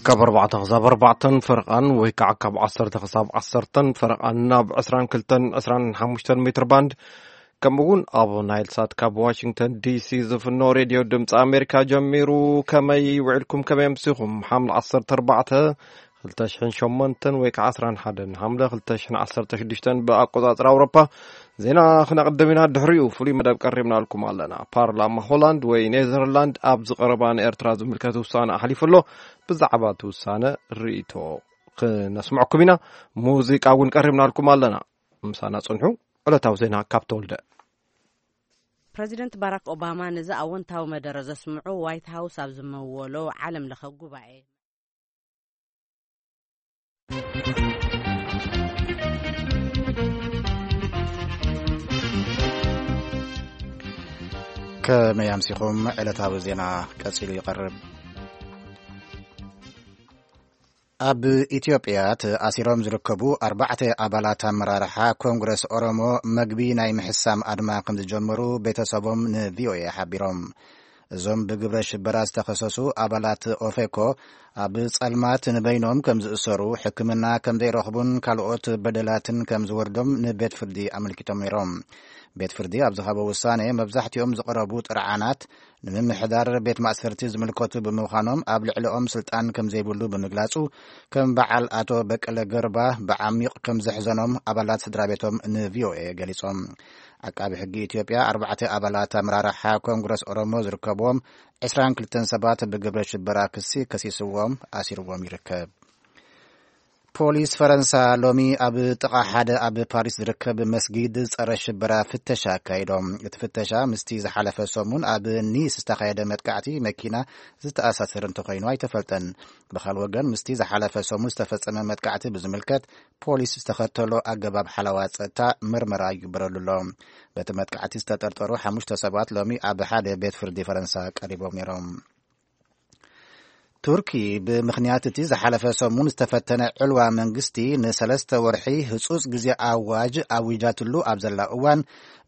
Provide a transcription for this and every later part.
ካብ ኣርባዕተ ክሳብ ኣርባዕተን ፈረቓን ወይ ከዓ ካብ ዓሰርተ ክሳብ ዓሰርተን ፈረቓን ናብ ዕስራን ክልተን ዕስራን ሓሙሽተን ሜትር ባንድ፣ ከምኡ እውን ኣብ ናይል ሳት ካብ ዋሽንግተን ዲሲ ዝፍኖ ሬድዮ ድምፂ ኣሜሪካ ጀሚሩ። ከመይ ውዕልኩም? ከመይ ኣምሲኹም? ሓምለ ዓሰርተ ኣርባዕተ ክልተ ሽሕን ሸሞንተን ወይ ከዓ ዓስራን ሓደን ሓምለ ክልተ ሽሕን ዓሰርተ ሽዱሽተን ብኣቆፃፅራ ኣውሮፓ። ዜና ክነቕድም ኢና። ድሕሪኡ ፍሉይ መደብ ቀሪብናልኩም ኣለና። ፓርላማ ሆላንድ ወይ ኔዘርላንድ ኣብዚ ቀረባ ንኤርትራ ዝምልከት ውሳነ ኣሕሊፉ ኣሎ። ብዛዕባ እቲ ውሳነ ርእይቶ ክነስምዐኩም ኢና። ሙዚቃ እውን ቀሪብናልኩም ኣለና። ምሳና ጽንሑ። ዕለታዊ ዜና ካብ ተወልደ። ፕረዚደንት ባራክ ኦባማ ነዚ ኣወንታዊ መደረ ዘስምዑ ዋይት ሃውስ ኣብ ዝመወሎ ዓለም ለኸ ጉባኤ። ከመይ ኣምሲኹም? ዕለታዊ ዜና ቀጺሉ ይቐርብ። ኣብ ኢትዮጵያ ተኣሲሮም ዝርከቡ ኣርባዕተ ኣባላት ኣመራርሓ ኮንግረስ ኦሮሞ መግቢ ናይ ምሕሳም ኣድማ ከም ዝጀመሩ ቤተሰቦም ን ቪ ኦ ኤ ሓቢሮም። እዞም ብግብረ ሽበራ ዝተኸሰሱ ኣባላት ኦፌኮ ኣብ ጸልማት ንበይኖም ከም ዝእሰሩ፣ ሕክምና ከም ዘይረኽቡን ካልኦት በደላትን ከም ዝወርዶም ንቤት ፍርዲ ኣመልኪቶም ነይሮም። ቤት ፍርዲ ኣብ ዝሃቦ ውሳኔ፣ መብዛሕትኦም ዝቐረቡ ጥርዓናት ንምምሕዳር ቤት ማእሰርቲ ዝምልከቱ ብምዃኖም፣ ኣብ ልዕሊኦም ስልጣን ከም ዘይብሉ ብምግላጹ፣ ከም በዓል ኣቶ በቀለ ገርባ ብዓሚቕ ከም ዘሕዘኖም ኣባላት ስድራ ቤቶም ን ቪ ኦ ኤ ገሊጾም። ዓቃቢ ሕጊ ኢትዮጵያ ኣርባዕተ ኣባላት ኣመራርሓ ኮንግረስ ኦሮሞ ዝርከብዎም ዕስራን ክልተን ሰባት ብግብረ ሽበራ ክሲ ከሲስዎም ኣሲርዎም ይርከብ። ፖሊስ ፈረንሳ ሎሚ ኣብ ጥቓ ሓደ ኣብ ፓሪስ ዝርከብ መስጊድ ጸረ ሽበራ ፍተሻ ኣካይዶም። እቲ ፍተሻ ምስቲ ዝሓለፈ ሰሙን ኣብ ኒስ ዝተኻየደ መጥቃዕቲ መኪና ዝተኣሳሰር እንተኾይኑ ኣይተፈልጠን። ብኻል ወገን፣ ምስቲ ዝሓለፈ ሰሙን ዝተፈጸመ መጥቃዕቲ ብዝምልከት ፖሊስ ዝተኸተሎ ኣገባብ ሓለዋ ጸጥታ ምርመራ ይግበረሉ ኣሎ። በቲ መጥቃዕቲ ዝተጠርጠሩ ሓሙሽተ ሰባት ሎሚ ኣብ ሓደ ቤት ፍርዲ ፈረንሳ ቀሪቦም ነይሮም። ቱርኪ ብምኽንያት እቲ ዝሓለፈ ሰሙን ዝተፈተነ ዕልዋ መንግስቲ ንሰለስተ ወርሒ ህጹጽ ግዜ ኣዋጅ ኣዊጃትሉ ኣብ ዘላ እዋን፣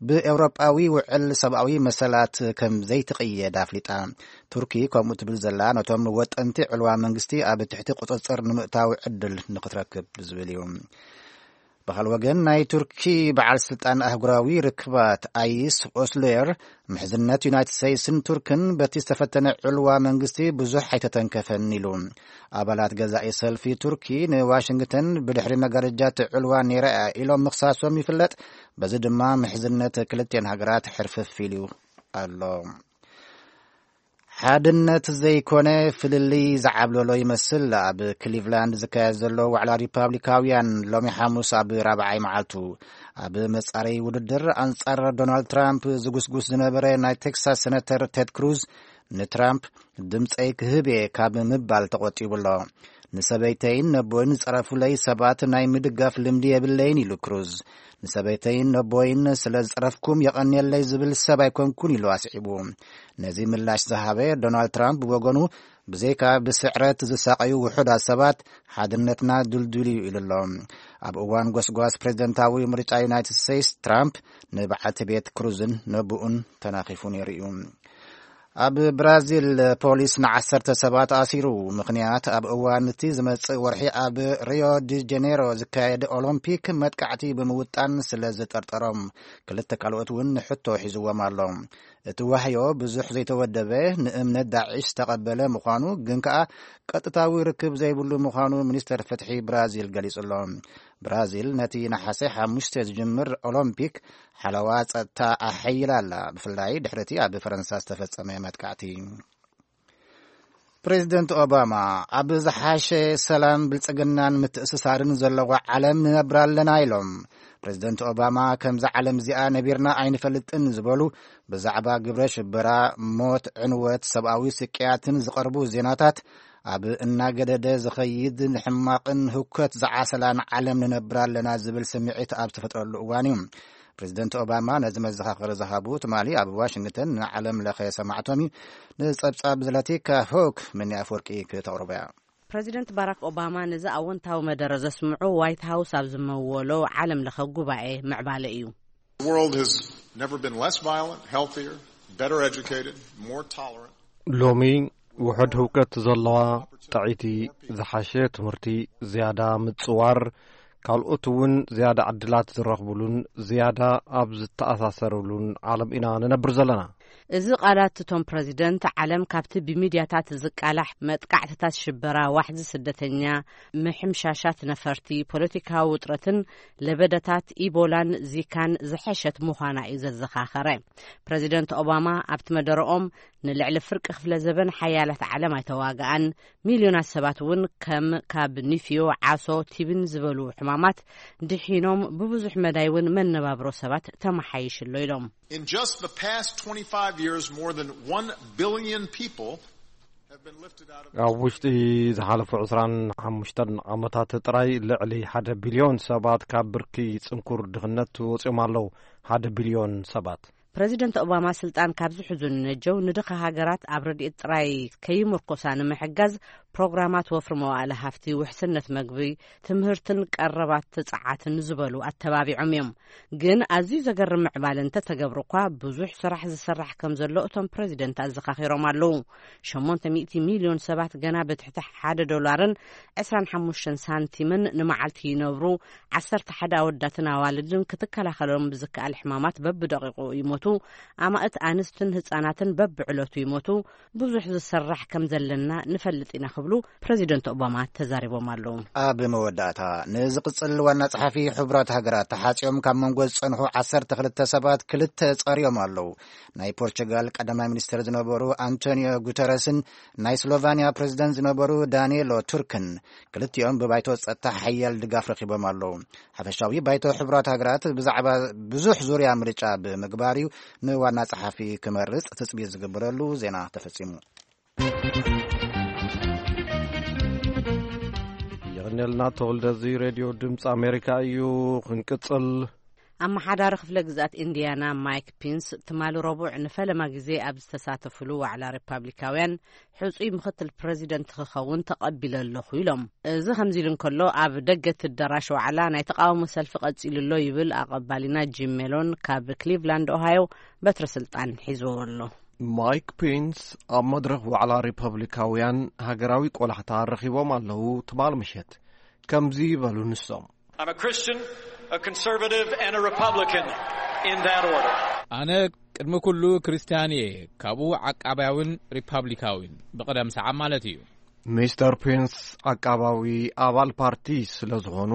ብኤውሮጳዊ ውዕል ሰብኣዊ መሰላት ከም ዘይትቕየድ ኣፍሊጣ። ቱርኪ ከምኡ ትብል ዘላ፣ ነቶም ወጠንቲ ዕልዋ መንግስቲ ኣብ ትሕቲ ቁጽጽር ንምእታው ዕድል ንክትረክብ ዝብል እዩ። ብኻል ወገን፣ ናይ ቱርኪ በዓል ስልጣን ኣህጉራዊ ርክባት ኣይስ ኦስሎየር፣ ምሕዝነት ዩናይትድ ስቴትስን ቱርክን በቲ ዝተፈተነ ዕልዋ መንግስቲ ብዙሕ ኣይተተንከፈን ኢሉ። ኣባላት ገዛኢ ሰልፊ ቱርኪ ንዋሽንግተን ብድሕሪ መጋረጃ እቲ ዕልዋ ነይራ እያ ኢሎም ምኽሳሶም ይፍለጥ። በዚ ድማ ምሕዝነት ክልቲኤን ሃገራት ሕርፍፍ ኢሉ ኣሎ። ሓድነት ዘይኮነ ፍልልይ ዝዓብለሎ ይመስል ኣብ ክሊቭላንድ ዝካየድ ዘሎ ዋዕላ ሪፓብሊካውያን ሎሚ ሓሙስ ኣብ ራብዓይ መዓልቱ። ኣብ መጻረዪ ውድድር ኣንጻር ዶናልድ ትራምፕ ዝጉስጉስ ዝነበረ ናይ ቴክሳስ ሴነተር ቴድ ክሩዝ ንትራምፕ ድምጸይ ክህብ እየ ካብ ምባል ተቖጢቡ ኣሎ። ንሰበይተይን ነቦይን ዝጸረፉለይ ሰባት ናይ ምድጋፍ ልምዲ የብለይን ኢሉ ክሩዝ። ንሰበይተይን ነቦይን ስለ ዝጸረፍኩም የቐንየለይ ዝብል ሰብ ኣይኮንኩን ኢሉ ኣስዒቡ። ነዚ ምላሽ ዝሃበ ዶናልድ ትራምፕ ብወገኑ፣ ብዘይካ ብስዕረት ዝሳቐዩ ውሑዳት ሰባት ሓድነትና ድልዱል እዩ ኢሉ ኣሎ። ኣብ እዋን ጎስጓስ ፕሬዝደንታዊ ምርጫ ዩናይትድ ስቴትስ፣ ትራምፕ ንበዓልቲ ቤት ክሩዝን ነብኡን ተናኺፉ ነይሩ እዩ። ኣብ ብራዚል ፖሊስ ንዓሰርተ ሰባት ኣሲሩ። ምኽንያት፣ ኣብ እዋን እቲ ዝመጽእ ወርሒ ኣብ ሪዮ ዲ ጀኔሮ ዝካየድ ኦሎምፒክ መጥቃዕቲ ብምውጣን ስለ ዝጠርጠሮም፣ ክልተ ካልኦት እውን ንሕቶ ሒዝዎም ኣሎ። እቲ ዋህዮ ብዙሕ ዘይተወደበ፣ ንእምነት ዳዒሽ ዝተቐበለ ምዃኑ፣ ግን ከኣ ቀጥታዊ ርክብ ዘይብሉ ምዃኑ ሚኒስተር ፍትሒ ብራዚል ገሊጹ ኣሎ። ብራዚል ነቲ ነሓሰ ሓሙሽተ ዝጅምር ኦሎምፒክ ሓለዋ ጸጥታ ኣሐይላ ኣላ፣ ብፍላይ ድሕሪ እቲ ኣብ ፈረንሳ ዝተፈጸመ መጥቃዕቲ። ፕሬዚደንት ኦባማ፣ ኣብ ዝሓሸ ሰላም፣ ብልጽግናን ምትእስሳርን ዘለዋ ዓለም ንነብር ኣለና ኢሎም። ፕሬዚደንት ኦባማ፣ ከምዛ ዓለም እዚኣ ነቢርና ኣይንፈልጥን ዝበሉ፣ ብዛዕባ ግብረ ሽበራ፣ ሞት፣ ዕንወት፣ ሰብኣዊ ስቅያትን ዝቐርቡ ዜናታት ኣብ እናገደደ ዝኸይድ ሕማቕን ህውከት ዝዓሰላን ዓለም ንነብር ኣለና ዝብል ስምዒት ኣብ ዝተፈጥረሉ እዋን እዩ። ፕሬዚደንት ኦባማ ነዚ መዘኻኸሪ ዝሃቡ ትማሊ ኣብ ዋሽንግተን ንዓለም ለኸ ሰማዕቶም እዩ። ንጸብጻብ ዘለቲካ ሆክ፣ ምኒ ኣፍወርቂ ክተቕርቦ እያ። ፕረዚደንት ባራክ ኦባማ ነዚ ኣወንታዊ መደረ ዘስምዑ ዋይት ሃውስ ኣብ ዝመወሎ ዓለም ለኸ ጉባኤ ምዕባለ እዩ። The world has never been less violent, healthier, better educated, more tolerant. ሎሚ ውሑድ ህውከት ዘለዋ፣ ጥዕይቲ፣ ዝሓሸ ትምህርቲ፣ ዝያዳ ምጽዋር፣ ካልኦት እውን ዝያዳ ዕድላት ዝረኽብሉን ዝያዳ ኣብ ዝተኣሳሰርሉን ዓለም ኢና ንነብር ዘለና። እዚ ቃላት እቶም ፕረዚደንት፣ ዓለም ካብቲ ብሚድያታት ዝቃላሕ መጥቃዕትታት ሽበራ፣ ዋሕዚ ስደተኛ፣ ምሕምሻሻት ነፈርቲ፣ ፖለቲካዊ ውጥረትን ለበደታት ኢቦላን ዚካን ዝሐሸት ምዃና እዩ ዘዘኻኸረ። ፕረዚደንት ኦባማ ኣብቲ መደረኦም፣ ንልዕሊ ፍርቂ ክፍለ ዘበን ሓያላት ዓለም ኣይተዋግኣን፣ ሚልዮናት ሰባት እውን ከም ካብ ኒፍዮ፣ ዓሶ፣ ቲብን ዝበሉ ሕማማት ድሒኖም፣ ብብዙሕ መዳይ እውን መነባብሮ ሰባት ተመሓይሽሎ ኢሎም። In just the past twenty-five years, more than one billion people have been lifted out of ኣብ ውሽጢ ዝሓለፉ ዕስራን ሓሙሽተን ዓመታት ጥራይ ልዕሊ ሓደ ቢልዮን ሰባት ካብ ብርኪ ጽንኩር ድኽነት ወጺኦም ኣለዉ። ሓደ ቢልዮን ሰባት። ፕረዚደንት ኦባማ ስልጣን ካብ ዝሕዙ ንነጀው፣ ንድኻ ሃገራት ኣብ ረድኤት ጥራይ ከይምርኮሳ ንምሕጋዝ፣ ፕሮግራማት ወፍሪ መዋእለ ሃፍቲ፣ ውሕስነት መግቢ፣ ትምህርትን ቀረባት ጸዓትን ዝበሉ ኣተባቢዖም እዮም። ግን ኣዝዩ ዘገርም ምዕባለ እንተተገብሩ እኳ፣ ብዙሕ ስራሕ ዝስራሕ ከም ዘሎ እቶም ፕረዚደንት ኣዘኻኺሮም ኣለዉ። ሸሞንተ ሚእቲ ሚልዮን ሰባት ገና ብትሕቲ ሓደ ዶላርን ዕስራን ሓሙሽተን ሳንቲምን ንመዓልቲ ይነብሩ። ዓሰርተ ሓደ ኣወዳትን ኣዋልድን ክትከላኸሎም ብዝከኣል ሕማማት በብደቂቑ ይሞቱ። ኣማእት ኣንስትን ህጻናትን በብዕለቱ ይሞቱ። ብዙሕ ዝሰራሕ ከም ዘለና ንፈልጥ ኢና ክብሉ ፕረዚደንት ኦባማ ተዛሪቦም ኣለዉ። ኣብ መወዳእታ፣ ንዝቕጽል ዋና ጸሓፊ ሕቡራት ሃገራት ተሓጺኦም ካብ መንጎ ዝጸንሑ ዓሰርተ ክልተ ሰባት ክልተ ጸርዮም ኣለዉ። ናይ ፖርቹጋል ቀዳማይ ሚኒስትር ዝነበሩ ኣንቶኒዮ ጉተረስን ናይ ስሎቫንያ ፕረዚደንት ዝነበሩ ዳንኤሎ ቱርክን፣ ክልቲኦም ብባይቶ ጸጥታ ሓያል ድጋፍ ረኺቦም ኣለዉ። ሓፈሻዊ ባይቶ ሕቡራት ሃገራት ብዛዕባ ብዙሕ ዙርያ ምርጫ ብምግባር እዩ ንዋና ጸሓፊ ክመርጽ ትጽቢት ዝግበረሉ። ዜና ተፈጺሙ። የቐንየልና ተወልደ፣ እዚ ሬድዮ ድምፂ ኣሜሪካ እዩ። ክንቅጽል። ኣመሓዳሪ ክፍለ ግዝኣት ኢንዲያና ማይክ ፒንስ ትማሊ ረቡዕ ንፈለማ ግዜ ኣብ ዝተሳተፍሉ ዋዕላ ሪፓብሊካውያን፣ ሕጹይ ምኽትል ፕረዚደንት ክኸውን ተቐቢለ ኣለኹ ኢሎም። እዚ ከምዚ ኢሉ እንከሎ፣ ኣብ ደገ እቲ ኣዳራሽ ዋዕላ ናይ ተቓውሞ ሰልፊ ቀጺሉ ኣሎ ይብል ኣቐባሊና ጂም ሜሎን ካብ ክሊቭላንድ ኦሃዮ በትሪ ስልጣን ሒዝዎ ኣሎ። ማይክ ፔንስ ኣብ መድረኽ ዋዕላ ሪፐብሊካውያን ሃገራዊ ቆላሕታ ረኺቦም ኣለዉ። ትማል ምሸት ከምዚ ይበሉ ንሶም። I'm a Christian, a conservative, and a Republican in that order. ኣነ ቅድሚ ኩሉ ክርስትያን እየ፣ ካብኡ ዓቃባያውን ሪፓብሊካዊን ብቕደም ሰዓብ ማለት እዩ። ሚስተር ፔንስ ዓቃባዊ ኣባል ፓርቲ ስለ ዝኾኑ፣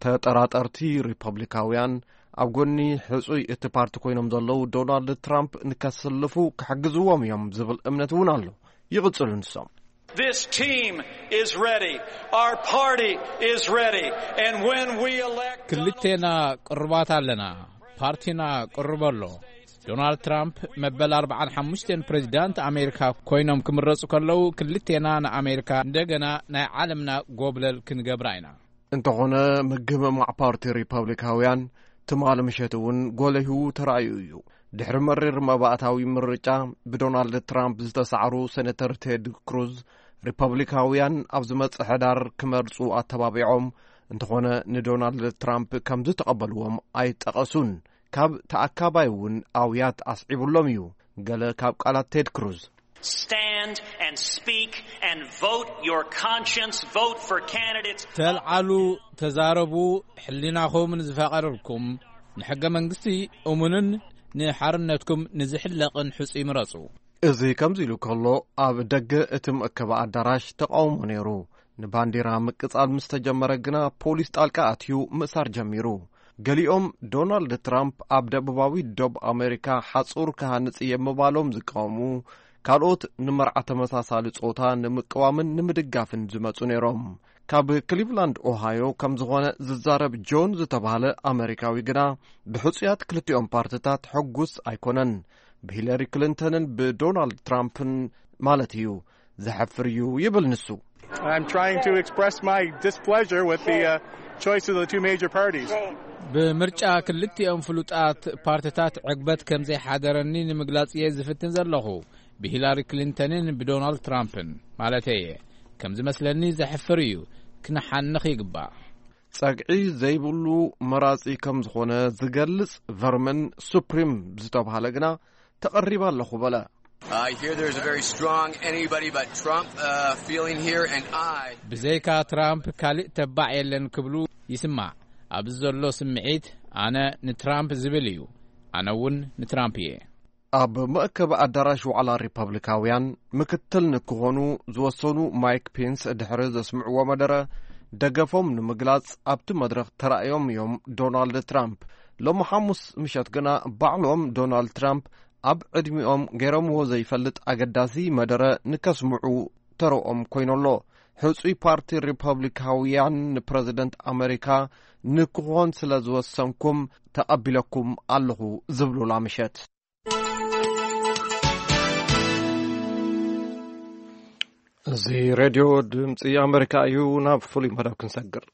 ተጠራጠርቲ ሪፐብሊካውያን ኣብ ጎኒ ሕጹይ እቲ ፓርቲ ኮይኖም ዘለዉ ዶናልድ ትራምፕ ንከስልፉ ክሕግዝዎም እዮም ዝብል እምነት እውን ኣሎ። ይቕጽሉ ንሶም። This team is ready. Our party is ready. And when we elect ክልቴና ቅሩባት ኣለና። ፓርቲና ቅሩብ ኣሎ። ዶናልድ ትራምፕ መበል ኣርባዓን ሓሙሽተን ፕሬዚዳንት ኣሜሪካ ኮይኖም ክምረጹ ከለዉ፣ ክልቴና ንኣሜሪካ እንደገና ናይ ዓለምና ጎብለል ክንገብራ ኢና። እንተኾነ፣ ምግምማዕ ፓርቲ ሪፐብሊካውያን ትማሊ ምሸት እውን ጎሊሁ ተራእዩ እዩ። ድሕሪ መሪር መባእታዊ ምርጫ፣ ብዶናልድ ትራምፕ ዝተሳዕሩ ሴኔተር ቴድ ክሩዝ፣ ሪፐብሊካውያን ኣብ ዝመጽእ ሕዳር ክመርጹ ኣተባቢዖም፣ እንተኾነ ንዶናልድ ትራምፕ ከም ዝተቐበልዎም ኣይጠቐሱን። ካብ ተኣካባይ እውን ኣውያት ኣስዒቡሎም እዩ። ገለ ካብ ቃላት ቴድ ክሩዝ። Stand and speak and vote your conscience. Vote for candidates. ተልዓሉ፣ ተዛረቡ፣ ሕሊናኹም ንዝፈቐደልኩም፣ ንሕገ መንግስቲ እሙንን ንሓርነትኩም ንዝሕለቕን ሕጹይ ምረጹ። እዚ ከምዚ ኢሉ ከሎ፣ ኣብ ደገ እቲ መእከቢ ኣዳራሽ ተቃውሞ ነይሩ። ንባንዲራ ምቅጻል ምስ ተጀመረ ግና፣ ፖሊስ ጣልቃ ኣትዩ ምእሳር ጀሚሩ። ገሊኦም፣ ዶናልድ ትራምፕ ኣብ ደቡባዊ ዶብ ኣሜሪካ ሓጹር ክሃንጽ እየ ምባሎም ዝቃወሙ፣ ካልኦት፣ ንመርዓ ተመሳሳሊ ጾታ ንምቅዋምን ንምድጋፍን ዝመጹ ነይሮም። ካብ ክሊቭላንድ ኦሃዮ ከም ዝኾነ ዝዛረብ ጆን ዝተባህለ ኣመሪካዊ ግና፣ ብሕጹያት ክልቲኦም ፓርትታት ሕጉስ ኣይኮነን። ብሂለሪ ክሊንተንን ብዶናልድ ትራምፕን ማለት እዩ፣ ዘሕፍር እዩ ይብል ንሱ። I'm trying to express my displeasure with the uh, choice of the two major parties. ብምርጫ ክልቲኦም ፍሉጣት ፓርትታት ዕግበት ከም ዘይሓደረኒ ንምግላጽ እየ ዝፍትን ዘለኹ። ብሂላሪ ክሊንተንን ብዶናልድ ትራምፕን ማለተይ እየ። ከም ዝመስለኒ ዘሕፍር እዩ። ክንሓንኽ ይግባእ። ጸግዒ ዘይብሉ መራጺ ከም ዝኾነ ዝገልጽ ቨርመን ሱፕሪም ዝተባህለ ግና፣ ተቐሪበ ኣለኹ በለ። I hear there's a very strong anybody but Trump uh, feeling here, and I. ብዘይካ ትራምፕ ካልእ ተባዕ የለን ክብሉ ይስማዕ። ኣብዚ ዘሎ ስምዒት፣ ኣነ ንትራምፕ ዝብል እዩ። ኣነ እውን ንትራምፕ እየ። ኣብ መእከቢ ኣዳራሽ ዋዕላ ሪፐብሊካውያን ምክትል ንክኾኑ ዝወሰኑ ማይክ ፔንስ ድሕሪ ዘስምዕዎ መደረ፣ ደገፎም ንምግላጽ ኣብቲ መድረኽ ተራእዮም እዮም ዶናልድ ትራምፕ። ሎሚ ሓሙስ ምሸት ግና ባዕሎም ዶናልድ ትራምፕ ኣብ ዕድሚኦም ገይሮምዎ ዘይፈልጥ ኣገዳሲ መደረ ንከስምዑ ተረኦም ኮይኑ'ሎ። ሕጹይ ፓርቲ ሪፐብሊካውያን ንፕረዚደንት ኣመሪካ ንክኾን ስለ ዝወሰንኩም ተቐቢለኩም ኣለኹ ዝብሉላ ምሸት። እዚ ሬድዮ ድምፂ ኣመሪካ እዩ። ናብ ፍሉይ መደብ ክንሰግር።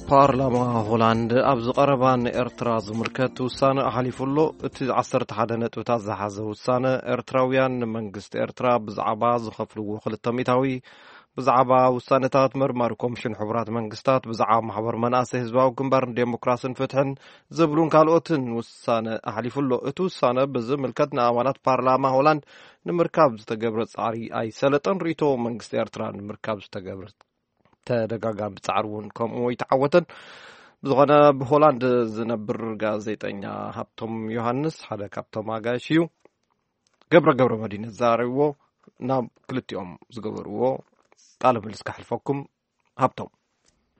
ፓርላማ ሆላንድ ኣብዚ ቀረባ ንኤርትራ ዝምልከት ውሳነ ኣሕሊፉ ኣሎ። እቲ ዓሰርተ ሓደ ነጥብታት ዝሓዘ ውሳነ፣ ኤርትራውያን ንመንግስቲ ኤርትራ ብዛዕባ ዝኸፍልዎ ክልተ ሚእታዊ፣ ብዛዕባ ውሳነታት መርማሪ ኮሚሽን ሕቡራት መንግስታት፣ ብዛዕባ ማሕበር መናእሰይ ህዝባዊ ግንባር ንዴሞክራስን ፍትሕን ዝብሉን ካልኦትን ውሳነ ኣሕሊፉ ኣሎ። እቲ ውሳነ ብዝምልከት ንኣባላት ፓርላማ ሆላንድ ንምርካብ ዝተገብረ ጻዕሪ ኣይሰለጠን። ርእይቶ መንግስቲ ኤርትራ ንምርካብ ዝተገብረ ተደጋጋሚ ጻዕሪ እውን ከምኡ ኣይተዓወተን። ብዝኾነ፣ ብሆላንድ ዝነብር ጋዜጠኛ ሃብቶም ዮሃንስ ሓደ ካብቶም ኣጋይሽ እዩ። ገብረ ገብረ መድህን ዘራረብዎ፣ ናብ ክልቲኦም ዝገበርዎ ቃለ ምልልስ ከሕልፈኩም። ሃብቶም።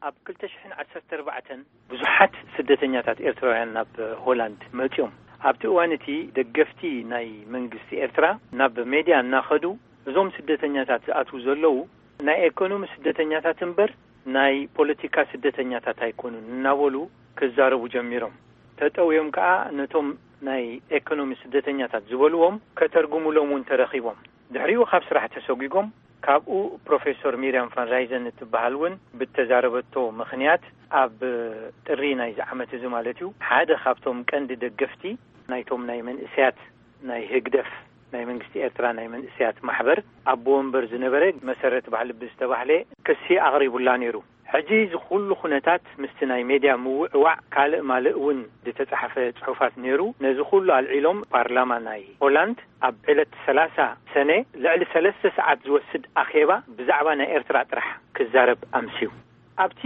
ኣብ ክልተ ሽሕን ዓሰርተ ኣርባዕተን ብዙሓት ስደተኛታት ኤርትራውያን ናብ ሆላንድ መጺኦም። ኣብቲ እዋን እቲ ደገፍቲ ናይ መንግስቲ ኤርትራ ናብ ሜድያ እናኸዱ፣ እዞም ስደተኛታት ዝኣትዉ ዘለዉ ናይ ኤኮኖሚ ስደተኛታት እምበር ናይ ፖለቲካ ስደተኛታት ኣይኮኑን እናበሉ ክዛረቡ ጀሚሮም። ተጠውዮም ከኣ ነቶም ናይ ኤኮኖሚ ስደተኛታት ዝበልዎም ከተርጉሙሎም እውን ተረኺቦም። ድሕሪኡ ካብ ስራሕ ተሰጒጎም። ካብኡ ፕሮፌሶር ሚርያም ፋንራይዘን እትበሃል እውን ብተዛረበቶ ምኽንያት ኣብ ጥሪ ናይዚ ዓመት እዚ ማለት እዩ፣ ሓደ ካብቶም ቀንዲ ደገፍቲ ናይቶም ናይ መንእሰያት ናይ ህግደፍ ናይ መንግስቲ ኤርትራ ናይ መንእሰያት ማሕበር ኣቦ ወንበር ዝነበረ መሰረት ባሕልቢ ዝተባህለ ክሲ ኣቕሪቡላ ነይሩ። ሕጂ እዚ ኩሉ ኩነታት ምስቲ ናይ ሜድያ ምውዕዋዕ ካልእ ማልእ እውን ዝተጻሕፈ ጽሑፋት ነይሩ። ነዚ ኩሉ ኣልዒሎም ፓርላማ ናይ ሆላንድ ኣብ ዕለት ሰላሳ ሰነ ልዕሊ ሰለስተ ሰዓት ዝወስድ ኣኼባ ብዛዕባ ናይ ኤርትራ ጥራሕ ክዛረብ ኣምስዩ። ኣብቲ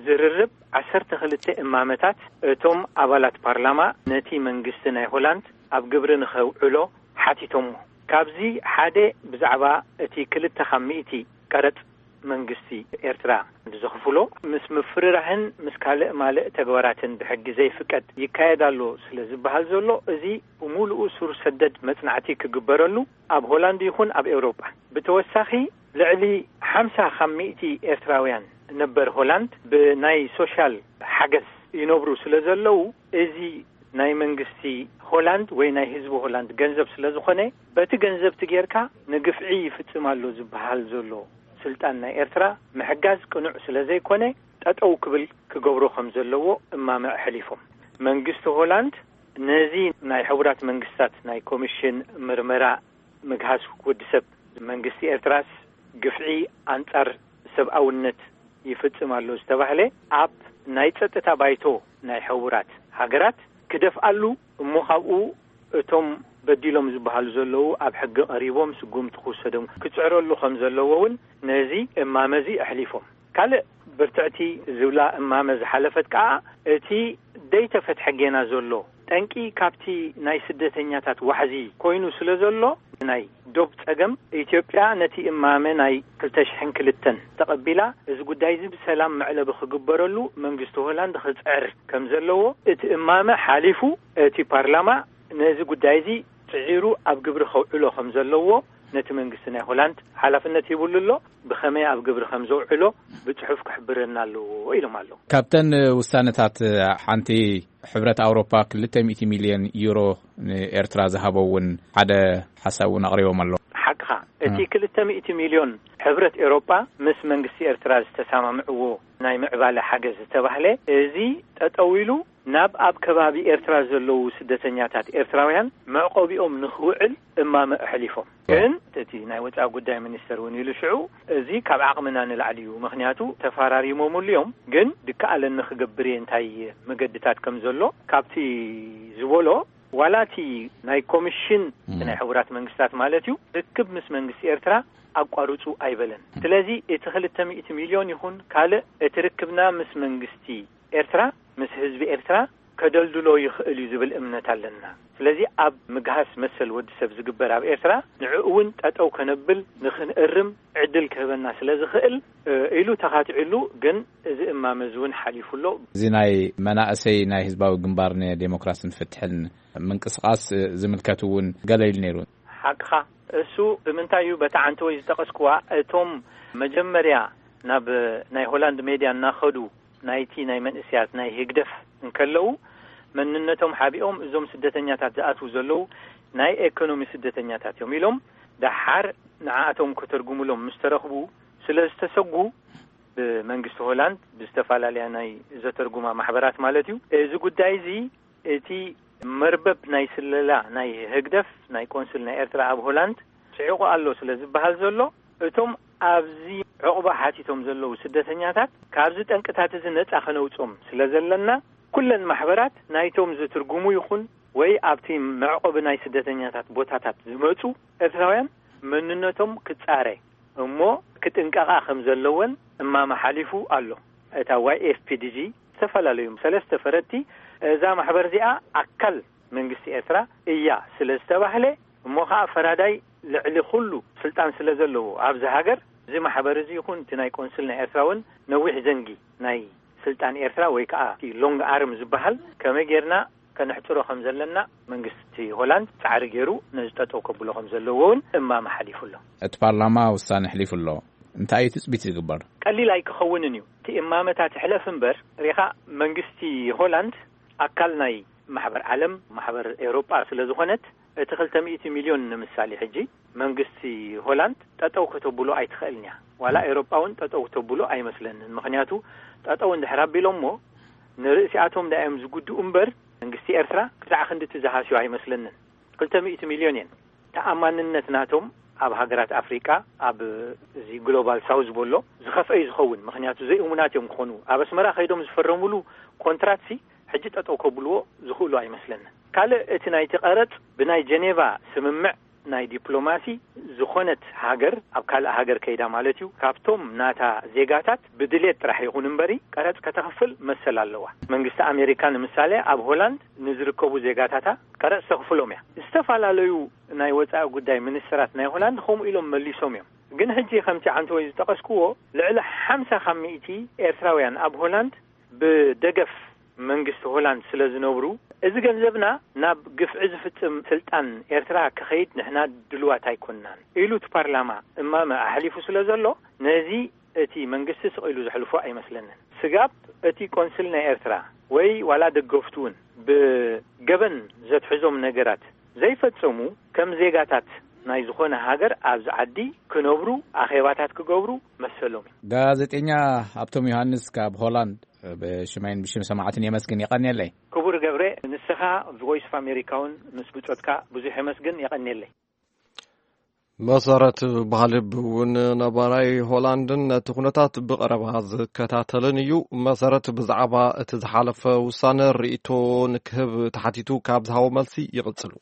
ዝርርብ ዓሰርተ ክልተ እማመታት እቶም ኣባላት ፓርላማ ነቲ መንግስቲ ናይ ሆላንድ ኣብ ግብሪ ንኸውዕሎ ሓቲቶሞ። ካብዚ ሓደ ብዛዕባ እቲ ክልተ ካብ ሚእቲ ቀረጽ መንግስቲ ኤርትራ ዘኽፍሎ ምስ ምፍርራህን ምስ ካልእ ማልእ ተግባራትን ብሕጊ ዘይፍቀድ ይካየድ ኣሎ ስለ ዝበሃል ዘሎ፣ እዚ ብምሉኡ ሱር ሰደድ መጽናዕቲ ክግበረሉ ኣብ ሆላንድ ይኹን ኣብ ኤውሮጳ። ብተወሳኺ ልዕሊ ሓምሳ ካብ ሚእቲ ኤርትራውያን ነበር ሆላንድ ብናይ ሶሻል ሓገዝ ይነብሩ ስለ ዘለዉ፣ እዚ ናይ መንግስቲ ሆላንድ ወይ ናይ ህዝቢ ሆላንድ ገንዘብ ስለ ዝኾነ፣ በቲ ገንዘብ እቲ ጌርካ ንግፍዒ ይፍጽም ኣሎ ዝበሃል ዘሎ ስልጣን ናይ ኤርትራ ምሕጋዝ ቅኑዕ ስለ ዘይኮነ፣ ጠጠው ክብል ክገብሮ ከም ዘለዎ እማመ ኣሕሊፎም። መንግስቲ ሆላንድ ነዚ ናይ ሕቡራት መንግስታት ናይ ኮሚሽን ምርመራ ምግሃስ ወዲ ሰብ፣ መንግስቲ ኤርትራስ ግፍዒ ኣንጻር ሰብኣውነት ይፍጽም ኣሎ ዝተባህለ ኣብ ናይ ጸጥታ ባይቶ ናይ ሕቡራት ሃገራት ክደፍኣሉ፣ እሞ ካብኡ እቶም በዲሎም ዝበሃሉ ዘለዉ ኣብ ሕጊ ቀሪቦም ስጉምቲ ክውሰዶም ክጽዕረሉ ከም ዘለዎ እውን ነዚ እማመ እዚ ኣሕሊፎም። ካልእ ብርትዕቲ ዝብላ እማመ ዝሓለፈት ከኣ፣ እቲ ደይተፈትሐ ጌና ዘሎ ጠንቂ ካብቲ ናይ ስደተኛታት ዋሕዚ ኮይኑ ስለ ዘሎ፣ ናይ ዶብ ጸገም፣ ኢትዮጵያ ነቲ እማመ ናይ ክልተ ሽሕን ክልተን ተቐቢላ፣ እዚ ጉዳይ እዚ ብሰላም መዕለቢ ክግበረሉ መንግስቲ ሆላንድ ክጽዕር ከም ዘለዎ፣ እቲ እማመ ሓሊፉ፣ እቲ ፓርላማ ነዚ ጉዳይ እዚ ጽዒሩ ኣብ ግብሪ ከውዕሎ ከም ዘለዎ ነቲ መንግስቲ ናይ ሆላንድ ሓላፍነት ሂቡሉ ኣሎ። ብኸመይ ኣብ ግብሪ ከም ዘውዕሎ ብጽሑፍ ክሕብረና ኣለዎ ኢሎም ኣለዉ። ካብተን ውሳነታት ሓንቲ፣ ሕብረት ኣውሮፓ ክልተ ሚእቲ ሚልዮን ዩሮ ንኤርትራ ዝሃቦ እውን ሓደ ሓሳብ እውን ኣቕሪቦም ኣለዉ። ሓቅኻ፣ እቲ እ። ክልተ ሚእቲ ሚልዮን ሕብረት ኤውሮጳ ምስ መንግስቲ ኤርትራ ዝተሰማምዕዎ ናይ ምዕባለ ሓገዝ ዝተባህለ፣ እዚ ጠጠው ኢሉ ናብ ኣብ ከባቢ ኤርትራ ዘለዉ ስደተኛታት ኤርትራውያን መዕቆቢኦም ንኽውዕል እማመ ኣሕሊፎም። ግን እቲ ናይ ወጻኢ ጉዳይ ሚኒስተር እውን ኢሉ ሽዑ፣ እዚ ካብ ዓቕምና ንላዕሊ እዩ፣ ምኽንያቱ ተፈራሪሞምሉ እዮም፣ ግን ድከኣለኒ ክገብር እየ እንታይ መገድታት ከም ዘሎ ካብቲ ዝበሎ፣ ዋላ እቲ ናይ ኮሚሽን ናይ ሕቡራት መንግስታት ማለት እዩ፣ ርክብ ምስ መንግስቲ ኤርትራ ኣቋርጹ ኣይበለን። ስለዚ እቲ ክልተ ሚእቲ ሚልዮን ይኹን ካልእ፣ እቲ ርክብና ምስ መንግስቲ ኤርትራ፣ ምስ ህዝቢ ኤርትራ ከደልድሎ ይኽእል እዩ ዝብል እምነት ኣለና። ስለዚ ኣብ ምግሃስ መሰል ወዲ ሰብ ዝግበር ኣብ ኤርትራ ንዕኡ እውን ጠጠው ከነብል ንኽንእርም ዕድል ክህበና ስለ ዝኽእል፣ እ፣ ኢሉ ተኻቲዕሉ። ግን እዚ እማመ እዚ እውን ሓሊፉ ኣሎ። እዚ ናይ መናእሰይ ናይ ህዝባዊ ግንባር ንዴሞክራስን ፍትሕን ምንቅስቃስ ዝምልከት እውን ገለ ኢሉ ነይሩ። ሓቅኻ። እሱ ብምንታይ እዩ በታ ዓንተወይ ዝጠቐስኩዋ? እቶም መጀመርያ ናብ ናይ ሆላንድ ሜድያ እናኸዱ ናይቲ ናይ መንእስያት ናይ ህግደፍ እንከለዉ፣ መንነቶም ሓቢኦም እዞም ስደተኛታት ዝኣትዉ ዘለዉ ናይ ኤኮኖሚ ስደተኛታት እዮም ኢሎም፣ ደሓር ንዓኣቶም ከተርጉሙሎም ምስ ተረኽቡ ስለ ዝተሰጉ፣ ብመንግስቲ ሆላንድ ብዝተፈላለያ ናይ ዘተርጉማ ማሕበራት ማለት እዩ፣ እዚ ጉዳይ እዚ እቲ መርበብ ናይ ስለላ ናይ ህግደፍ ናይ ቆንስል ናይ ኤርትራ ኣብ ሆላንድ ስዒቑ ኣሎ ስለ ዝበሃል ዘሎ፣ እቶም ኣብዚ ዕቑባ ሓቲቶም ዘለዉ ስደተኛታት ካብዚ ጠንቅታት እዚ ነጻ ከነውጾም ስለ ዘለና፣ ኩለን ማሕበራት ናይቶም ዝትርጉሙ ይኹን ወይ ኣብቲ መዕቆቢ ናይ ስደተኛታት ቦታታት ዝመጹ ኤርትራውያን መንነቶም ክጻረ እሞ ክጥንቀቓ ከም ዘለወን እማመ ሓሊፉ ኣሎ። እታ ዋይ ኤፍ ፒ ዲ ጂ ዝተፈላለዩ ሰለስተ ፈረድቲ እዛ ማሕበር እዚኣ ኣካል መንግስቲ ኤርትራ እያ ስለ ዝተባህለ፣ እሞ ኸኣ ፈራዳይ ልዕሊ ኩሉ ስልጣን ስለ ዘለዎ ኣብዚ ሃገር፣ እዚ ማሕበር እዚ ይኹን እቲ ናይ ቆንስል ናይ ኤርትራ እውን ነዊሕ ዘንጊ ናይ ስልጣን ኤርትራ ወይ ከኣ እቲ ሎንግ ኣርም ዝበሃል ከመይ ጌርና ከነሕጽሮ ከም ዘለና መንግስቲ ሆላንድ ጻዕሪ ገይሩ ነዚ ጠጠው ከብሎ ከም ዘለዎ እውን እማመ ሓሊፉ ኣሎ። እቲ ፓርላማ ውሳነ ኣሕሊፉ ኣሎ። እንታይ እዩ ትጽቢት ዝግበር? ቀሊል ኣይክኸውንን እዩ። እቲ እማመታት ሕለፍ እምበር፣ ሪኻ መንግስቲ ሆላንድ ኣካል ናይ ማሕበር ዓለም፣ ማሕበር ኤውሮጳ ስለ ዝኾነት፣ እቲ ክልተ ሚእቲ ሚልዮን ንምሳሌ ሕጂ መንግስቲ ሆላንድ ጠጠው ከተብሎ ኣይትኽእልን እያ። ዋላ ኤውሮጳ እውን ጠጠው ከተብሎ ኣይመስለንን። ምኽንያቱ ጠጠው እንድሕር ኣቢሎሞ ንርእሲኣቶም ደኣ እዮም ዝጉድኡ እምበር መንግስቲ ኤርትራ ክሳዕ ክንድቲ ዝሃስዩ ኣይመስለንን። ክልተ ሚእቲ ሚልዮን እየን። ተኣማንነት ናቶም ኣብ ሃገራት ኣፍሪቃ፣ ኣብ እዚ ግሎባል ሳውዝ በሎ ዝኸፍአ እዩ ዝኸውን። ምኽንያቱ ዘይእሙናት እዮም ክኾኑ። ኣብ ኣስመራ ከይዶም ዝፈረሙሉ ኮንትራትሲ ሕጂ ጠጠው ከብልዎ ዝኽእሉ ኣይመስለንን። ካልእ እቲ ናይቲ ቀረጽ ብናይ ጀኔቫ ስምምዕ ናይ ዲፕሎማሲ ዝኾነት ሃገር ኣብ ካልእ ሃገር ከይዳ ማለት እዩ፣ ካብቶም ናታ ዜጋታት ብድሌት ጥራሕ ይኹን እምበሪ ቀረጽ ከተኽፍል መሰል ኣለዋ። መንግስቲ ኣሜሪካ ንምሳሌ ኣብ ሆላንድ ንዝርከቡ ዜጋታታ ቀረጽ ተኽፍሎም እያ። ዝተፈላለዩ ናይ ወጻኢ ጉዳይ ሚኒስትራት ናይ ሆላንድ ከምኡ ኢሎም መሊሶም እዮም። ግን ሕጂ ከምቲ ዓንተወይ ዝጠቐስክዎ ልዕሊ ሓምሳ ካብ ሚእቲ ኤርትራውያን ኣብ ሆላንድ ብደገፍ መንግስቲ ሆላንድ ስለ ዝነብሩ፣ እዚ ገንዘብና ናብ ግፍዒ ዝፍጽም ስልጣን ኤርትራ ክኸይድ ንሕና ድልዋት ኣይኮንናን ኢሉ እቲ ፓርላማ እማመ ኣሕሊፉ ስለ ዘሎ፣ ነዚ እቲ መንግስቲ ስቕ ኢሉ ዘሕልፎ ኣይመስለንን። ስጋብ እቲ ቆንስል ናይ ኤርትራ ወይ ዋላ ደገፍቱ እውን ብገበን ዘትሕዞም ነገራት ዘይፈጸሙ፣ ከም ዜጋታት ናይ ዝኾነ ሃገር ኣብዚ ዓዲ ክነብሩ፣ ኣኼባታት ክገብሩ መሰሎም እዩ። ጋዜጠኛ ሃብቶም ዮሃንስ ካብ ሆላንድ ብሽመይን ብሽም ሰማዕትን የመስግን። የቐንየለይ። ክቡር ገብረ፣ ንስኻ ቮይስ ኦፍ ኣሜሪካ እውን ምስ ብጾትካ ብዙሕ የመስግን። የቐንየለይ። መሰረት ባህልብ እውን ነባራይ ሆላንድን ነቲ ኩነታት ብቐረባ ዝከታተልን እዩ። መሰረት፣ ብዛዕባ እቲ ዝሓለፈ ውሳነ ርእይቶ ንክህብ ተሓቲቱ ካብ ዝሃቦ መልሲ ይቕጽሉ።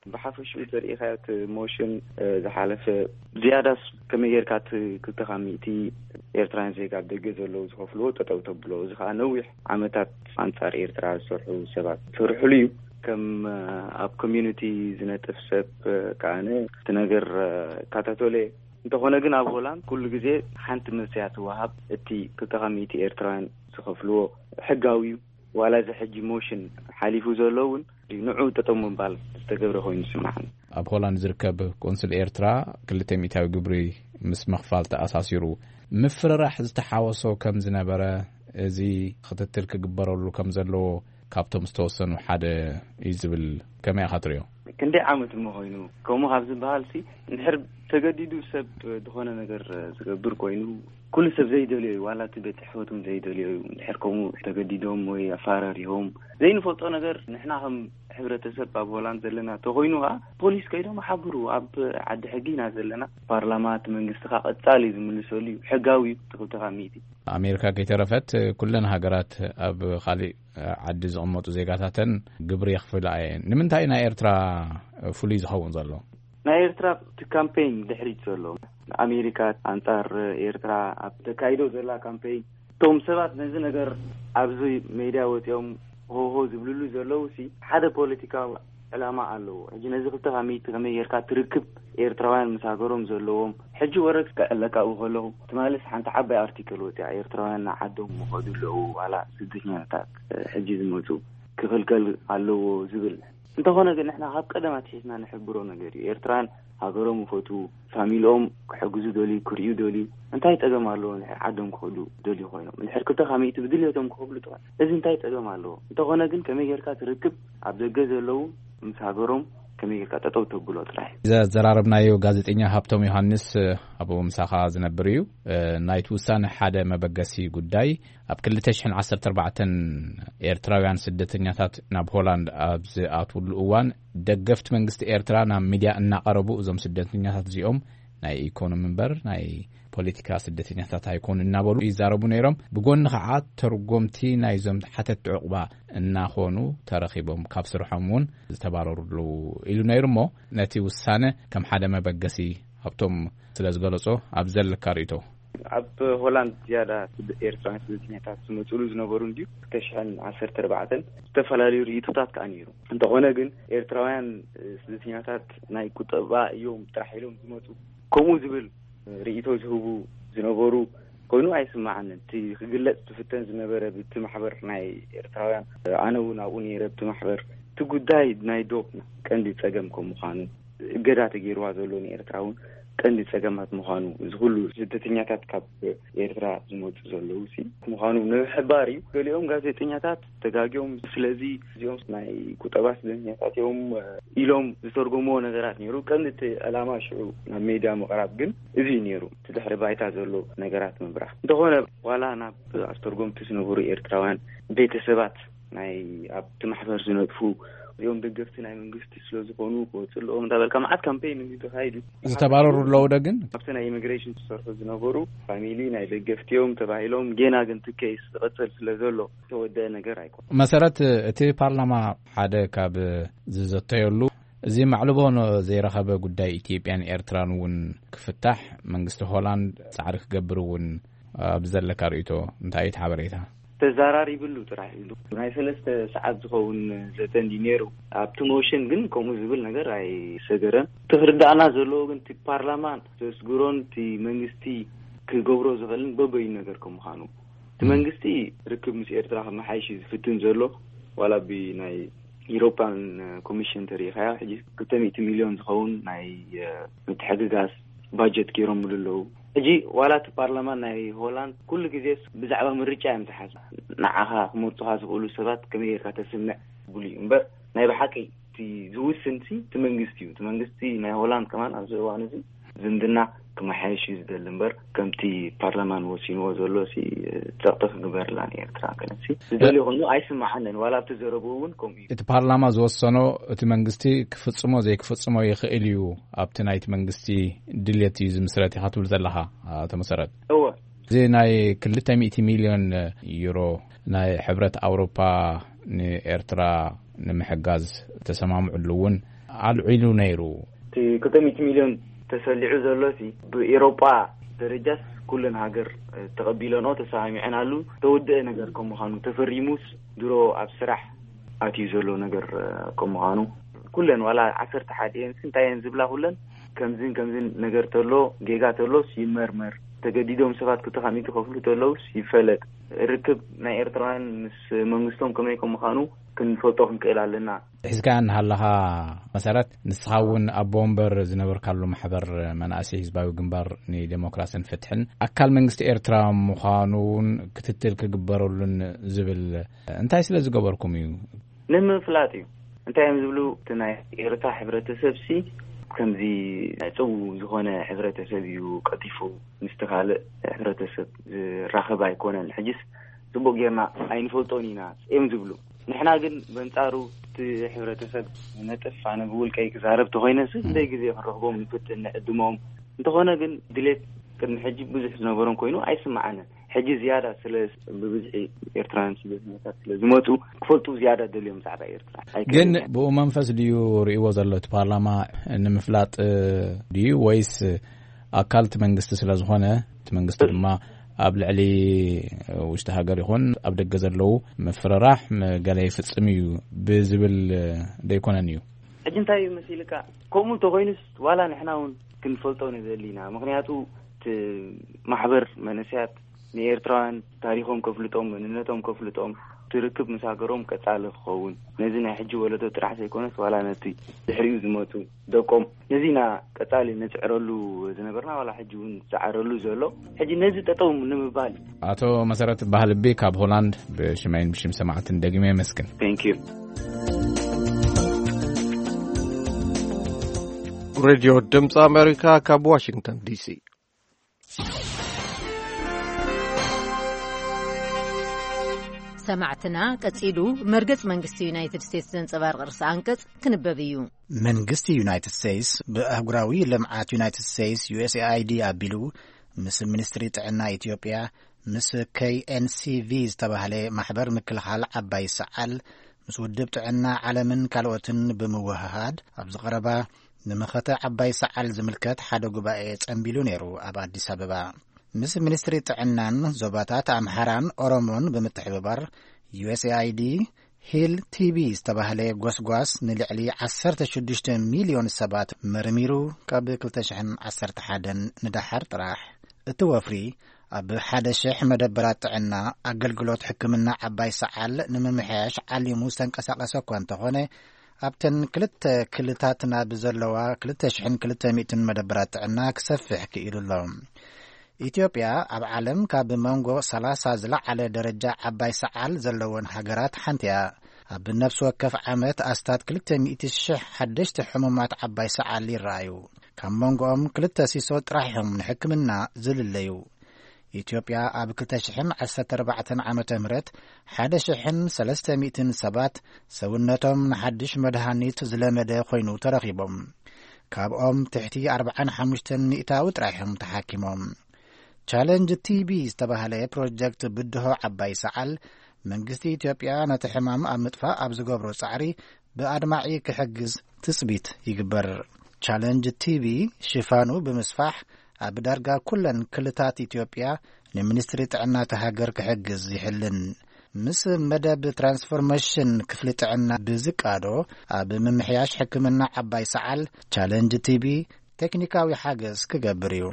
ብሓፈሽኡ ተሪኢኻዮ እቲ ሞሽን፣ እ፣ ዝሓለፈ ዝያዳስ ከመይ ጌርካ እቲ ክልተ ካብ ሚእቲ ኤርትራውያን ዜጋ ኣብ ደገ ዘለዉ ዝኸፍልዎ ጠጠው ተብሎ? እዚ ከኣ ነዊሕ ዓመታት ኣንጻር ኤርትራ ዝሰርሑ ሰባት ዝሰርሕሉ እዩ። ከም፣ እ፣ ኣብ ኮሚዩኒቲ ዝነጥፍ ሰብ፣ እ፣ ከኣነ እቲ ነገር፣ እ፣ እከታተሎ እየ። እንተኾነ ግን ኣብ ሆላንድ ኩሉ ግዜ ሓንቲ መልሲ እያ ትወሃብ። እቲ ክልተ ካብ ሚእቲ ኤርትራውያን ዝኸፍልዎ ሕጋዊ እዩ። ዋላ እዚ ሕጂ ሞሽን ሓሊፉ ዘሎ እውን ንዑ ጠጠው ምባል ዝተገብረ ኮይኑ ይስምዓኒ። ኣብ ሆላንድ ዝርከብ ቆንስል ኤርትራ ክልተ ሚእታዊ ግብሪ ምስ ምኽፋል ተኣሳሲሩ ምፍርራሕ ዝተሓወሶ ከም ዝነበረ፣ እዚ ክትትል ክግበረሉ ከም ዘለዎ ካብቶም ዝተወሰኑ ሓደ እዩ ዝብል፣ ከመይ ኢኻ ትርእዮ? ክንደይ ዓመት እሞ ኮይኑ ከምኡ ካብ ዝበሃል ሲ፣ እንድሕር ተገዲዱ ሰብ ዝኾነ ነገር ዝገብር ኮይኑ፣ ኩሉ ሰብ ዘይደልዮ እዩ። ዋላ እቲ ቤት ጽሕፈት እውን ዘይደልዮ እዩ። እንድሕር ከምኡ ተገዲዶም ወይ ኣፋራሪሆም ዘይንፈልጦ ነገር፣ ንሕና ከም ሕብረተሰብ ኣብ ሆላንድ ዘለና ተኮይኑ ከዓ ፖሊስ ከይዶም ሓብሩ። ኣብ ዓዲ ሕጊ ኢና ዘለና። ፓርላማ እቲ መንግስቲ ከዓ ቀጻሊ ዝምልሰሉ እዩ። ሕጋዊ እዩ። እቲ ክልተ ካብ ሚእቲ። ኣሜሪካ ከይተረፈት ኩለን ሃገራት ኣብ ካሊእ ዓዲ ዝቕመጡ ዜጋታተን ግብሪ የኽፍላ እየን። ንምንታይ ናይ ኤርትራ ፍሉይ ዝኸውን ዘሎ? ናይ ኤርትራ እቲ ካምፔን ድሕሪት ዘሎ፣ ኣሜሪካ ኣንጻር ኤርትራ ኣብ ተካይዶ ዘላ ካምፔን፣ እቶም ሰባት ነዚ ነገር ኣብዚ ሜድያ ወፂኦም ሆሆ ዝብልሉ ዘለዉ ሲ ሓደ ፖለቲካዊ ዕላማ ኣለዎ። ሕጂ ነዚ ክልተ ካብ ሚእቲ ከመይ ጌርካ ትርክብ? ኤርትራውያን ምስ ሃገሮም ዘለዎም ሕጂ ወረ ክዕለካኡ ከለኹ ትማልስ ሓንቲ ዓባይ ኣርቲክል ወፂኣ፣ ኤርትራውያን ንዓዶም ምኸዱ ኣለዉ፣ ዋላ ስደተኛታት ሕጂ ዝመፁ ክኽልከል ኣለዎ ዝብል። እንተኾነ ግን ንሕና ካብ ቀደም ኣትሒዝና ንሕብሮ ነገር እዩ። ኤርትራን ሃገሮም ይፈትዉ፣ ፋሚልኦም ክሕግዙ ደልዩ፣ ክርእዩ ደልዩ፣ እንታይ ጸገም ኣለዎ? ንድሕር ዓዶም ክኸዱ ደልዩ ኮይኖም፣ ንድሕር ክልተ ካብ ሚእቲ ብድልየቶም ክኸፍሉ ጥራይ፣ እዚ እንታይ ጸገም ኣለዎ? እንተኾነ ግን ከመይ ጌርካ ትርክብ? ኣብ ደገ ዘለዉ ምስ ሃገሮም ከመይ ጌርካ ጠጠው ተብሎ ጥራይ። ዘዘራረብናዮ ጋዜጠኛ ሃብቶም ዮሃንስ ኣብኡ ምሳኻ ዝነብር እዩ። ናይቲ ውሳነ ሓደ መበገሲ ጉዳይ፣ ኣብ ክልተ ሽሕን ዓሰርተ ኣርባዕተን ኤርትራውያን ስደተኛታት ናብ ሆላንድ ኣብ ዝኣትውሉ እዋን፣ ደገፍቲ መንግስቲ ኤርትራ ናብ ሚድያ እናቐረቡ፣ እዞም ስደተኛታት እዚኦም ናይ ኢኮኖሚ እምበር ናይ ፖለቲካ ስደተኛታት ኣይኮኑ እናበሉ ይዛረቡ ነይሮም። ብጎኒ ከዓ ተርጎምቲ ናይዞም ሓተትቲ ዕቑባ እናኾኑ ተረኺቦም፣ ካብ ስርሖም እውን ዝተባረሩ ኣለዉ ኢሉ ነይሩ። እሞ ነቲ ውሳነ ከም ሓደ መበገሲ ኣብቶም ስለ ዝገለጾ፣ ኣብ ዘለካ ርእይቶ? ኣብ ሆላንድ ዝያዳ ስደ-፣ ኤርትራውያን ስደተኛታት ዝመጽሉ ዝነበሩ እንድዩ። ክልተ ሽሕን ዓሰርተ ኣርባዕተን ዝተፈላለዩ ርእይቶታት ከኣ ነይሩ። እንተኾነ ግን ኤርትራውያን፣ እ፣ ስደተኛታት ናይ ቁጠባ እዮም ጥራሕ ኢሎም ዝመጹ፣ ከምኡ ዝብል ርእይቶ ዝህቡ ዝነበሩ ኮይኑ ኣይስማዓንን። እቲ ክግለጽ ዝፍተን ዝነበረ ብቲ ማሕበር ናይ ኤርትራውያን፣ ኣነ እውን ኣብኡ ነይረ፣ ብቲ ማሕበር እቲ ጉዳይ ናይ ዶብ ቀንዲ ጸገም ከም ምዃኑ፣ እገዳ ተገይርዋ ዘሎ ንኤርትራ እውን ቀንዲ ጸገማት ምዃኑ፣ እዚ ኩሉ ስደተኛታት ካብ ኤርትራ ዝመጹ ዘለዉ ሲ ምዃኑ ንምሕባር እዩ። ገሊኦም ጋዜጠኛታት ተጋግዮም፣ ስለዚ እዚኦም ናይ ቁጠባ ስደተኛታት እዮም ኢሎም ዝተርጎምዎ ነገራት ነይሩ። ቀንዲ እቲ ዕላማ ሽዑ ናብ ሜድያ ምቕራብ ግን እዚ እዩ ነይሩ፣ እቲ ድሕሪ ባይታ ዘሎ ነገራት ምብራህ። እንተኾነ ዋላ ናብ ኣስተርጎምቲ ዝነበሩ ኤርትራውያን ቤተሰባት ናይ ኣብቲ ማሕበር ዝነጥፉ እዚኦም ደገፍቲ ናይ መንግስቲ ስለ ዝኾኑ ክወፅእ ኣለዎም እንዳበልካ መዓት ካምፔን እንዲ ተኻይዱ። ዝተባረሩ ኣለዉ ዶ ግን? ኣብቲ ናይ ኢሚግሬሽን ዝሰርሑ ዝነበሩ ፋሚሊ ናይ ደገፍቲ እዮም ተባሂሎም፣ ጌና ግን እቲ ኬስ ዝቐፅል ስለ ዘሎ ዝተወደአ ነገር ኣይኮነ። መሰረት፣ እቲ ፓርላማ ሓደ ካብ ዝዘተየሉ፣ እዚ ማዕልቦ ዘይረኸበ ጉዳይ ኢትዮጵያን ኤርትራን እውን ክፍታሕ መንግስቲ ሆላንድ ጻዕሪ ክገብር እውን ኣብ ዘለካ ርእይቶ እንታይ እዩ እቲ ሓበሬታ? ተዛራሪብሉ ጥራሕ ኢሉ ናይ ሰለስተ ሰዓት ዝኸውን ዘተ እንዲ ነይሩ። ኣብቲ ሞሽን ግን ከምኡ ዝብል ነገር ኣይሰገረን። እቲ ክርዳእና ዘለዎ ግን እቲ ፓርላማን ዘስግሮን እቲ መንግስቲ ክገብሮ ዝኽእልን በበይኑ ነገር ከም ምዃኑ፣ እቲ መንግስቲ ርክብ ምስ ኤርትራ ከመሓይሽ እዩ ዝፍትን ዘሎ። ዋላ ብናይ ኢሮፓን ኮሚሽን ተሪኢኻዮ፣ ሕጂ ክልተ ሚእቲ ሚልዮን ዝኸውን ናይ፣ እ፣ ምትሕግጋዝ ባጀት ገይሮምሉ ኣለዉ። ሕጂ ዋላ እቲ ፓርላማ ናይ ሆላንድ ኩሉ ግዜስ ብዛዕባ ምርጫ እዮም ዝሓስቡ። ንዓኻ ክመርጹኻ ዝኽእሉ ሰባት ከመይ ጌርካ ተስምዕ ዝብሉ እዩ እምበር፣ ናይ ብሓቂ እቲ ዝውስን ሲ እቲ መንግስቲ እዩ። እቲ መንግስቲ ናይ ሆላንድ ከማን ኣብዚ እዋን እዚ ዝምድና ክመሓየሽ እዩ ዝደሊ እምበር፣ ከምቲ ፓርላማን ወሲንዎ ዘሎ ሲ ጸቕጢ ክግበርላ ንኤርትራ ገለሲ ዝደሊ ኮይኑ ኣይስምዓንን። ዋላ ኣብቲ ዘረብኡ እውን ከምኡ እዩ። እቲ ፓርላማ ዝወሰኖ እቲ መንግስቲ ክፍጽሞ ዘይክፍጽሞ ይኽእል እዩ፣ ኣብቲ ናይቲ መንግስቲ ድልየት እዩ ዝምስረት ኢኻ ትብል ዘለኻ፣ ኣቶ መሰረት። እወ። እዚ ናይ ክልተ ሚእቲ ሚልዮን ዩሮ ናይ ሕብረት ኣውሮፓ ንኤርትራ ንምሕጋዝ ተሰማምዕሉ እውን ኣልዒሉ ነይሩ። እቲ ክልተ ሚእቲ ሚልዮን ተሰሊዑ ዘሎ ሲ ብኤሮጳ ደረጃስ ኩለን ሃገር ተቐቢለንኦ ተሰማሚዐናሉ ተወደአ ነገር ከም ምዃኑ ተፈሪሙስ ድሮ ኣብ ስራሕ ኣትዩ ዘሎ ነገር ከም ምዃኑ ኩለን ዋላ ዓሰርተ ሓደ እየን ሲ እንታይ እየን ዝብላ ኩለን ከምዝን ከምዝን ነገር ተሎ ጌጋ ተሎስ ይመርመር ተገዲዶም ሰባት ክልተ ካብ ሚእቲ ከፍሉ ተለውስ ይፈለጥ ርክብ ናይ ኤርትራውያን ምስ መንግስቶም ከመይ ከም ምዃኑ ክንፈልጦ ክንክእል ኣለና። ሒዝካ እናሃለኻ መሰረት፣ ንስኻ እውን ኣቦ ወንበር ዝነበርካሉ ማሕበር መናእሰይ ህዝባዊ ግንባር ንዴሞክራስን ፍትሕን ኣካል መንግስቲ ኤርትራ ምዃኑ እውን ክትትል ክግበረሉን ዝብል እንታይ ስለ ዝገበርኩም እዩ? ንምፍላጥ እዩ። እንታይ እዮም ዝብሉ? እቲ ናይ ኤርትራ ሕብረተሰብ ሲ ከምዚ ናይ ጽው ዝኾነ ሕብረተሰብ እዩ ቀልጢፉ ምስቲ ካልእ ሕብረተሰብ ዝራኸብ ኣይኮነን። ሕጅስ ጽቡቕ ጌርና ኣይንፈልጦን ኢና እዮም ዝብሉ። ንሕና ግን በንጻሩ እቲ ሕብረተሰብ ነጥፍ ኣነ ብውልቀይ ክዛረብ ተኾይነ ስ ክንደይ ግዜ ክንረኽቦም ንፍትን ንዕድሞም። እንተኾነ ግን ድሌት ቅድሚ ሕጂ ብዙሕ ዝነበሮም ኮይኑ ኣይስምዓንን። ሕጂ ዝያዳ ስለ ብብዝሒ ኤርትራውያን ስደተኛታት ስለ ዝመጹ ክፈልጡ ዝያዳ ደልዮም ብዛዕባ ኤርትራ። ኣይክእልን ግን እየ። ብኡ መንፈስ ድዩ ርእይዎ ዘሎ እቲ ፓርላማ ንምፍላጥ ድዩ ወይስ ኣካል እቲ መንግስቲ ስለ ዝኾነ እቲ መንግስቲ ድማ ኣብ ልዕሊ ውሽጢ ሃገር ይኹን ኣብ ደገ ዘለዉ ምፍርራሕ ገለ ይፍጽም እዩ ብዝብል ደይኮነን እዩ? ሕጂ እንታይ እዩ መሲልካ? ከምኡ እንተኾይኑስ ዋላ ንሕና እውን ክንፈልጦ ንደሊ ኢና። ምኽንያቱ እቲ ማሕበር መንእሰያት ንኤርትራውያን ታሪኾም ከፍልጦም፣ መንነቶም ከፍልጦም፣ እቲ ርክብ ምስ ሃገሮም ቀጻሊ ክኸውን፣ ነዚ ናይ ሕጂ ወለዶ ጥራሕ ዘይኮነስ ዋላ ነቲ ድሕሪኡ ዝመጹ ደቆም፣ ነዚ ኢና ቀጻሊ ንጽዕረሉ ዝነበርና፣ ዋላ ሕጂ እውን ዝጸዓረሉ ዘሎ። ሕጂ ነዚ ጠጠው ንምባል እዩ። ኣቶ መሰረት ባህልቢ ካብ ሆላንድ ብሽመይን ብሽም ሰማዕትን ደጊመ የመስግን። Thank you። ሬድዮ ድምፂ ኣሜሪካ ካብ ዋሽንግተን ዲሲ። ሰማዕትና፣ ቀጺሉ መርገጽ መንግስቲ ዩናይትድ ስቴትስ ዘንጸባርቕ ርእሰ ኣንቀጽ ክንበብ እዩ። መንግስቲ ዩናይትድ ስቴትስ ብኣህጉራዊ ልምዓት ዩናይትድ ስቴትስ፣ ዩ ኤስ ኤ ኣይ ዲ፣ ኣቢሉ ምስ ሚኒስትሪ ጥዕና ኢትዮጵያ፣ ምስ ኬ ኤን ሲ ቪ ዝተባህለ ማሕበር ምክልኻል ዓባይ ሰዓል፣ ምስ ውድብ ጥዕና ዓለምን ካልኦትን ብምውህሃድ፣ ኣብዚ ቀረባ ንመኸተ ዓባይ ሰዓል ዝምልከት ሓደ ጉባኤ ጸንቢሉ ነይሩ ኣብ ኣዲስ ኣበባ። ምስ ሚኒስትሪ ጥዕናን ዞባታት ኣምሓራን ኦሮሞን ብምትሕብባር፣ ዩ ኤስ ኤ ኣይ ዲ ሂል ቲ ቢ ዝተባህለ ጎስጓስ ንልዕሊ ዓሰርተ ሽዱሽተ ሚልዮን ሰባት መርሚሩ፣ ካብ ክልተ ሽሕን ዓሰርተ ሓደን ንደሓር ጥራሕ። እቲ ወፍሪ ኣብ ሓደ ሽሕ መደበራት ጥዕና ኣገልግሎት ሕክምና ዓባይ ሰዓል ንምምሕያሽ ዓሊሙ ዝተንቀሳቐሰ እኳ እንተኾነ፣ ኣብተን ክልተ ክልታት ናብ ዘለዋ ክልተ ሽሕን ክልተ ሚእትን መደበራት ጥዕና ክሰፍሕ ክኢሉ ኣሎ። ኢትዮጵያ ኣብ ዓለም ካብ መንጎ ሰላሳ ዝለዓለ ደረጃ ዓባይ ሰዓል ዘለወን ሃገራት ሓንቲ እያ። ኣብ ነፍሲ ወከፍ ዓመት ኣስታት ክልተ ሚእቲ ሽሕ ሓደሽቲ ሕሙማት ዓባይ ሰዓል ይረኣዩ። ካብ መንጎኦም ክልተ ሲሶ ጥራሕ እዮም ንሕክምና ዝልለዩ። ኢትዮጵያ ኣብ ክልተ ሽሕን ዓሰርተ ኣርባዕተን ዓመተ ምህረት ሓደ ሽሕን ሰለስተ ሚእትን ሰባት ሰውነቶም ንሓድሽ መድሃኒት ዝለመደ ኮይኑ ተረኺቦም። ካብኦም ትሕቲ ኣርባዓን ሓሙሽተን ሚእታዊ ጥራሕ እዮም ተሓኪሞም። ቻለንጅ ቲ ቢ ዝተባህለ ፕሮጀክት ብድሆ ዓባይ ሰዓል፣ መንግስቲ ኢትዮጵያ ነቲ ሕማም ኣብ ምጥፋእ ኣብ ዝገብሮ ጻዕሪ ብኣድማዒ ክሕግዝ ትጽቢት ይግበር። ቻለንጅ ቲ ቢ ሽፋኑ ብምስፋሕ፣ ኣብ ዳርጋ ኩለን ክልታት ኢትዮጵያ ንሚኒስትሪ ጥዕና እታ ሃገር ክሕግዝ ይሕልን። ምስ መደብ ትራንስፎርሜሽን ክፍሊ ጥዕና ብዝቃዶ፣ ኣብ ምምሕያሽ ሕክምና ዓባይ ሰዓል ቻለንጅ ቲ ቢ ቴክኒካዊ ሓገዝ ክገብር እዩ።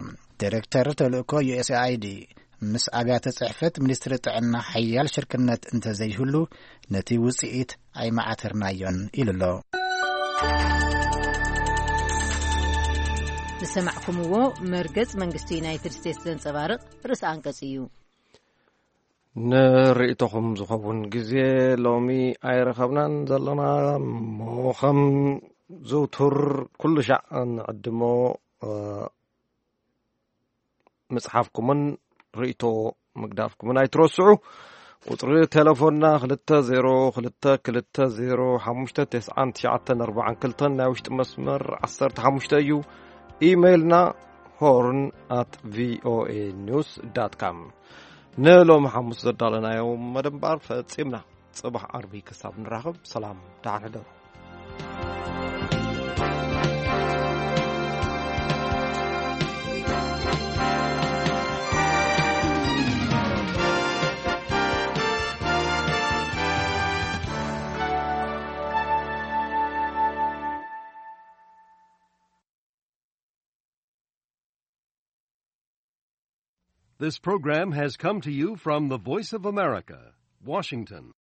ዲሬክተር ተልእኮ ዩ ኤስ ኤ ኣይ ዲ ምስ ኣብያተ ጽሕፈት ሚኒስትሪ ጥዕና ሓያል ሽርክነት እንተዘይህሉ፣ ነቲ ውጽኢት ኣይመዓተርናዮን ኢሉ ኣሎ። ዝሰማዕኩምዎ መርገጽ መንግስቲ ዩናይትድ ስቴትስ ዘንጸባርቕ ርእሰ ኣንቀጽ እዩ። ንርእይቶኹም ዝኸውን ግዜ ሎሚ ኣይረኸብናን ዘለና እሞ፣ ከም ዝውቱር ኩሉ ሻዕ ንዕድሞ፣ እ፣ ምጽሓፍኩምን ርእይቶ ምግዳፍኩምን ኣይትረስዑ። ቁጽሪ ቴሌፎንና ክልተ ዜሮ ክልተ ክልተ ዜሮ ሓሙሽተ ተስዓን ትሽዓተን ኣርባዓን ክልተን፣ ናይ ውሽጢ መስመር ዓሰርተ ሓሙሽተ እዩ። ኢሜይልና ሆርን ኣት ቪ ኦ ኤ ኒውስ ዳት ካም። ንሎሚ ሓሙስ ዘዳለናዮ መደብ እምበኣር ፈጺምና። ጽባሕ ዓርቢ ክሳብ ንራኸብ፣ ሰላም፣ ደሓን ሕደሩ። This program has come to you from the Voice of America, Washington.